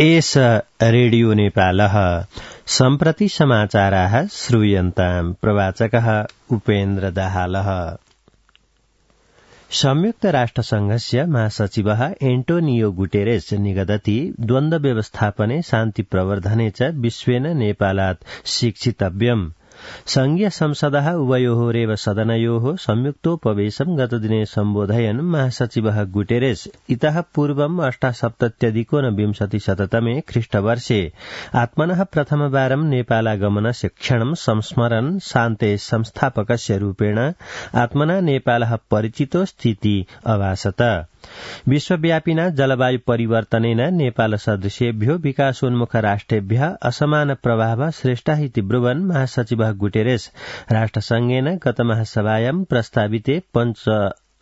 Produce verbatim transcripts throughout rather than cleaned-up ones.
एष रेडियो नेपालः सम्प्रति समाचाराः श्रूयन्ताम्। प्रवाचकः उपेन्द्र दाहालः। संयुक्त राष्ट्रसंघस्य महासचिवः एन्टोनियो गुटेरेस निगदति द्वन्द्व व्यवस्थापने शान्ति प्रवर्धने च विश्वेन नेपालात् शिक्षितव्यम्। संघीय संसदः उभयोरेव सदनयोः संयुक्तोपवेशं गतदिने सम्बोधयन् महासचिवः गुटेरेस इतः पूर्वम् अष्टासप्तत्यधिकोनविंशतिशततमे ख्रीष्टवर्षे आत्मनः प्रथमवारं नेपालागमनस्य क्षणं संस्मरन् शान्तेः संस्थापकस्य रूपेण आत्मना नेपालः परिचितो स्थिति अभासत। विश्वव्यापिना जलवायु परिवर्तनेन नेपाल सदृशेभ्यो विकासोन्मुख राष्ट्रेभ्यः असमान प्रभावः सृष्टः इति ब्रुवन् महासचिवः गुटेरेस राष्ट्रसंघेन गत महासभायां प्रस्ताविते पञ्च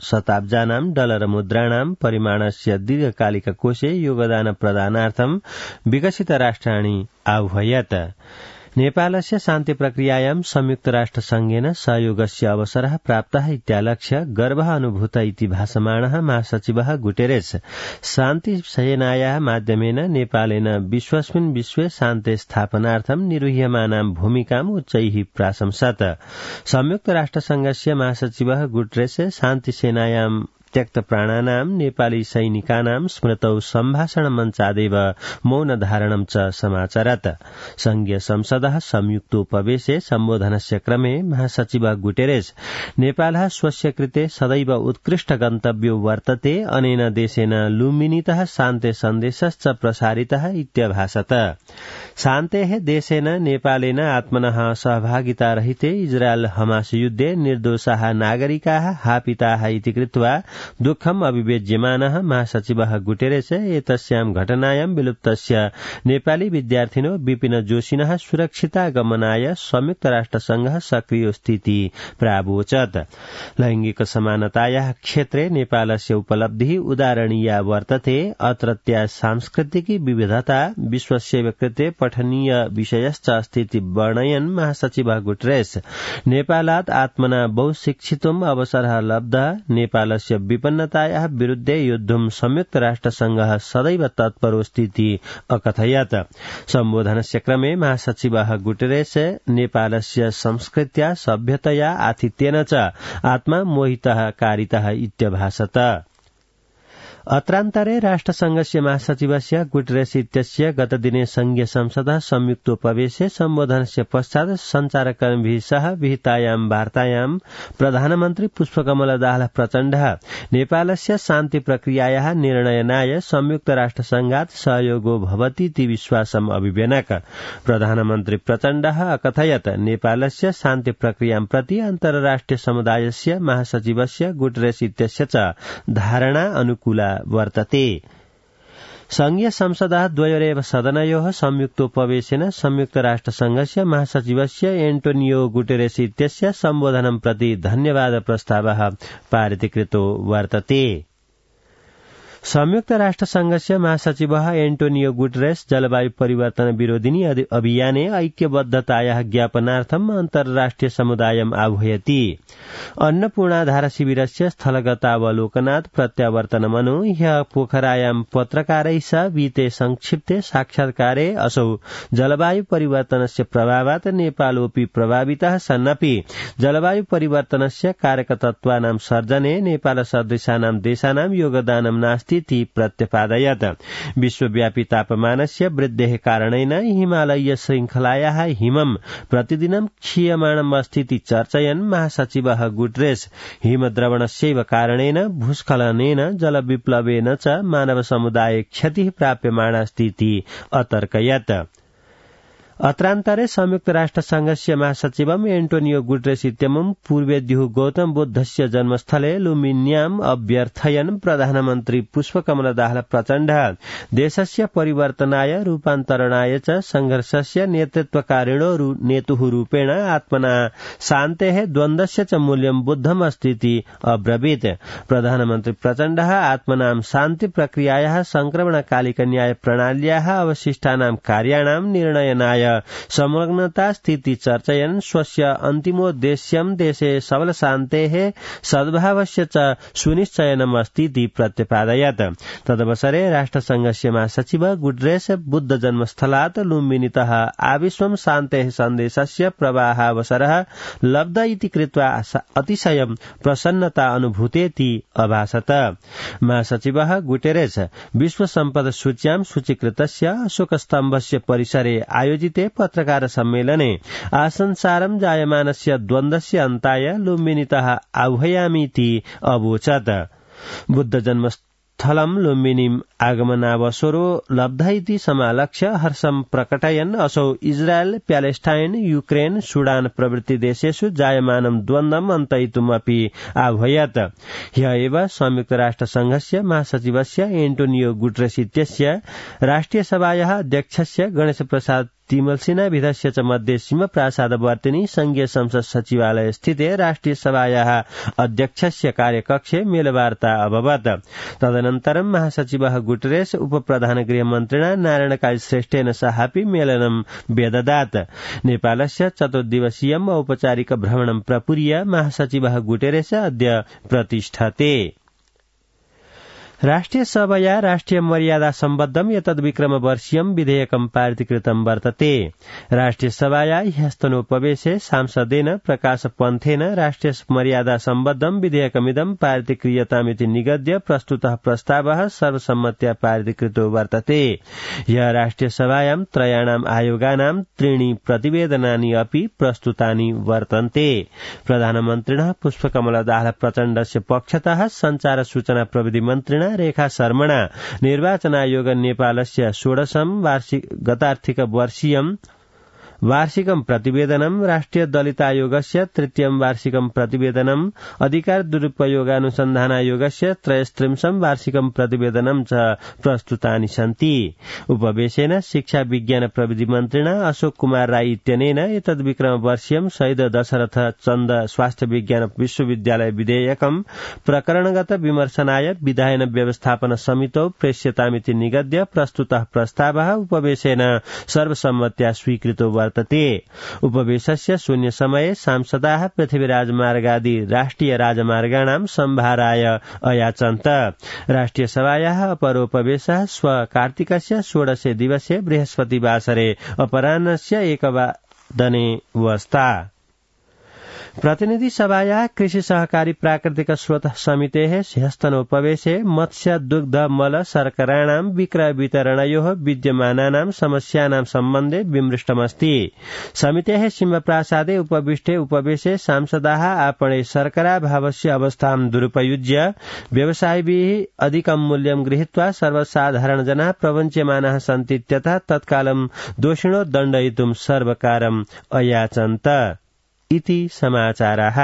शताब्जानां डलर मुद्राणां परिमाणस्य दीर्घकालिक कोषे योगदान प्रदानार्थं विकसित राष्ट्राणि आह्वयत्। नेपालस्य शान्ति प्रक्रियायां संयुक्त राष्ट्र संघेन सहयोगस्य अवसरः प्राप्तः इत्यालक्ष्य गर्वः अनुभूत इति भाषमाणः महासचिवः गुटेरेस शान्ति सेनायाः माध्यमेन नेपालेन विश्वस्मिन् विश्वे शान्ति स्थापनार्थं निर्वह्यमानां भूमिकाम् उच्चैः प्राशंसत। संयुक्त राष्ट्र संघस्य महासचिवः गुटेरेस शान्ति सेनायां त्यक्त प्राणानां नेपाली सैनिकानां स्मृतौ सम्भाषण मञ्चादेव मौन धारणं च समाचरत्। संघीय संसदः संयुक्तोपवेशे सम्बोधनस्य क्रमे महासचिवः गुटेरेस नेपालः स्वस्य कृते सदैव उत्कृष्ट गन्तव्यो वर्तते अनेन देशेन लुम्बिनीतः शान्ति सन्देशश्च प्रसारितः इत्यभाषत। शान्तेः देशेन नेपालेन आत्मनः सहभागितारहिते इजरायल हमास युद्धे निर्दोषाः नागरिकाः हापिताः इति कृत्वा दुःखम् अभिव्यज्यमानः महासचिवः गुटेरेस एतस्यां घटनायां विलुप्तस्य नेपाली विद्यार्थिनो विपिन जोशिनः सुरक्षितागमनाय संयुक्त राष्ट्रसंघः सक्रिय स्थिति प्रावोचत्। लैंगिक समानतायाः क्षेत्रे नेपालस्य उपलब्धिः उदाहरणीया वर्तते। अत्रत्या सांस्कृतिकी विविधता विश्वस्य कृते पठनीय विषयश्च अस्तीति वर्णयन् महासचिवः गुटेरेस नेपालात् आत्मना बहुशिक्षितुम् अवसरः लब्धः। नेपालस्य विपन्नतायाः विरुद्धे युद्धुं संयुक्त राष्ट्रसंघः सदैव तत्परोऽस्तीति अकथयत्। सम्बोधनस्य क्रमे महासचिवः गुटेरेस नेपालस्य संस्कृत्या सभ्यतया आतिथ्येन च आत्मा मोहितः कारितः इत्यभाषत। अत्रान्तरे राष्ट्रसंघस्य महासचिवस्य गुटेरेस इत्यस्य गतदिने संघीय संसदः संयुक्तोपवेशे सम्बोधनस्य पश्चात् सञ्चारकर्मीभिः सह विहितायां वार्तायां प्रधानमन्त्री पुष्पकमल दाहाल प्रचण्डः नेपालस्य शान्ति प्रक्रियायाः निर्णयनाय संयुक्त राष्ट्रसंघात् सहयोगो भवतीति विश्वासम् अभिव्यनक। प्रधानमन्त्री प्रचण्डः अकथयत् नेपालस्य शान्ति प्रक्रियां प्रति अन्तर्राष्ट्रिय समुदायस्य महासचिवस्य गुटेरेस इत्यस्य च धारणा अनुकूला वर्तते। संघीय संसदः द्वयोरेव सदनयोः संयुक्तोपवेशेन संयुक्त राष्ट्रसंघस्य महासचिवस्य एन्टोनियो गुटेरेस इत्यस्य सम्बोधनं प्रति धन्यवाद प्रस्तावः पारितीकृतो वर्तते। संयुक्त राष्ट्र संघस्य महासचिवः एन्टोनियो गुटेरेस जलवायु परिवर्तन विरोधिनी अभियाने ऐक्यबद्धतायाः ज्ञापनार्थम् अन्तर्राष्ट्रिय समुदायम् आह्वयति। अन्नपूर्णाधार शिविरस्य स्थलगतावलोकनात् प्रत्यावर्तनमनु ह्यः पोखरायां पत्रकारैः सह विहिते संक्षिप्ते साक्षात्कारे असौ जलवायु परिवर्तनस्य प्रभावात् नेपालोऽपि प्रभावितः सन्नपि जलवायु परिवर्तनस्य कारकतत्त्वानां सर्जने नेपाल सदृशानां देशानां योगदानं नास्ति इति प्रत्यपादयत्। विश्वव्यापी तापमानस्य वृद्धेः कारणेन हिमालयीय श्रृंखलायाः हिमं प्रतिदिनं क्षीयमाणम् अस्तीति चर्चयन् महासचिवः गुटेरेस हिमद्रवणस्यैव कारणेन भूस्खलनेन जलविप्लवेन च मानव समुदाये क्षतिः प्राप्यमाणास्तीति अतर्कयत्। अत्रान्तरे संयुक्त राष्ट्र संघस्य महासचिवम् एन्टोनियो गुटेरेस इत्यमुं पूर्वेद्युः गौतम बुद्धस्य जन्मस्थले लुम्बिन्याम् अभ्यर्थयन् प्रधानमन्त्री पुष्पकमल दाहाल प्रचण्डः देशस्य परिवर्तनाय रूपान्तरणाय च संघर्षस्य नेतृत्वकारिणो नेतुः रूपेण आत्मना शान्तेः द्वन्द्वस्य च मूल्यं बुद्धम् अस्तीति अब्रवीत्। प्रधानमन्त्री प्रचण्डः आत्मनां शान्ति प्रक्रियायाः संक्रमणकालिक न्याय प्रणाल्याः अवशिष्टानां कार्याणां निर्णयनाय विषय संलग्नता स्थिति चर्चयन् स्वस्य अन्तिमोद्देश्यं देशे सबल शान्तेः सद्भावस्य च सुनिश्चयनम् अस्ति इति प्रत्यपादयत्। तदवसरे राष्ट्रसंघस्य महासचिव गुटरेस बुद्ध जन्मस्थलात् लुम्बिनीतः आविश्वं शान्तेः सन्देशस्य प्रवाहावसरः लब्ध इति कृत्वा अतिशयं प्रसन्नता अनुभूतेति अभाषत। महासचिवः गुटेरेस विश्व सम्पद सूच्यां सूचीकृतस्य अशोकस्तम्भस्य परिसरे आयोजिते पत्रकार सम्मेलने आसंसारं जायमानस्य द्वन्द्वस्य अन्ताय लुम्बिनीतः आह्वयामीति अवोचत्। बुद्ध जन्मस्थलं लुम्बिनीम् आगमनावसरो लब्ध इति समालक्ष्य हर्षं प्रकटयन् असौ इजरायल प्यालेस्टाइन युक्रेन सुडान प्रभृति देशेषु जायमानं द्वन्द्वम् अन्तयितुमपि आह्वयत्। ह्य एव संयुक्त राष्ट्रसंघस्य महासचिवस्य एन्टोनियो गुटरेस इत्यस्य राष्ट्रियसभायाः अध्यक्षस्य गणेश प्रसाद तिमलसिनाभिधस्य च मध्ये सिंहप्रासादवर्तिनी संघीय संसद सचिवालय स्थिते राष्ट्रिय सभायाः अध्यक्षस्य कार्यकक्षे मेलवार्ता अभवत्। तदनन्तरं महासचिवः गुटरेस उपप्रधान गृहमन्त्रिणा नारायण श्रेष्ठेन सहापि मेलनं व्यददात्। नेपालस्य चतुर्दिवसीयम् औपचारिक भ्रमणं प्रपूर्य महासचिवः गुटेरेस अद्य प्रतिष्ठते। राष्ट्रिय सभया राष्ट्रिय मर्यादा सम्बद्धम् एतद्विक्रम वर्षीयम् विधेयकम् पारितीकृतम् वर्तते। राष्ट्रिय सभाया ह्यस्तनोपवेशे सांसदेन प्रकाश पन्थेन राष्ट्रिय मर्यादा सम्बद्धम् विधेयकमिदम् पारितीक्रियतामिति निगद्य प्रस्तुतः प्रस्तावः सर्वसम्मत्या पारितीकृतो वर्तते। ह्यः राष्ट्रिय सभायां त्रयाणाम् आयोगानां त्रीणि प्रतिवेदनानि अपि प्रस्तुतानि वर्तन्ते। प्रधानमन्त्रिणः पुष्पकमलदास प्रचण्डस्य पक्षतः संचार सूचना प्रविधि मन्त्रिणा रेखा शर्मणा निर्वाचनायोग नेपालस्य षोडशं वार्षिक गतार्थिक वर्षीयं वार्षिकं प्रतिवेदनं राष्ट्रिय दलित आयोगस्य तृतीयं वार्षिकं प्रतिवेदनं अधिकार दुरुपयोगानुसन्धानायोगस्य त्रयस्त्रिंशं वार्षिकं प्रतिवेदनं च प्रस्तुतानि सन्ति। उपवेशेन शिक्षा विज्ञान प्रविधि मन्त्रिणा अशोक कुमार राई इत्यनेन एतद्विक्रम वर्षीयं शहीद दशरथ चन्द स्वास्थ्य विज्ञान विश्वविद्यालय विधेयकं प्रकरणगत विमर्शनाय विधायन व्यवस्थापन समितौ प्रेष्यतामिति निगद्य प्रस्तुतः प्रस्तावः उपवेशेन सर्वसम्मत्या स्वीकृतो वर्तते। उपवेशस्य शून्य समये सांसदाः पृथ्वीराज मार्गादि राष्ट्रिय राजमार्गाणां सम्भाराय अयाचन्त। राष्ट्रिय सभायाः अपरोपवेशः श्व कार्तिकस्य षोडशे दिवसे बृहस्पतिवासरे अपराह्नस्य एकवादने वस्ता। प्रतिनिधि सभाया कृषि सहकारी प्राकृतिक स्रोत समितेः ह्यस्तनोपवेशे मत्स्य दुग्ध मल शर्कराणां विक्रय वितरणयोः विद्यमानानां समस्यानां सम्बन्धे विमृष्टमस्ति। समितेः सिंहप्रासादे उपविष्टे उपवेशे सांसदाः आपणे शर्कराभावस्य अवस्थां दुरुपयुज्य व्यवसायिभिः अधिकं मूल्यं गृहीत्वा सर्वसाधारणजनाः प्रवञ्च्यमानाः सन्ति इत्यतः तत्कालं दोषिणो दण्डयितुं सर्वकारम् अयाचन्त इति समाचाराः।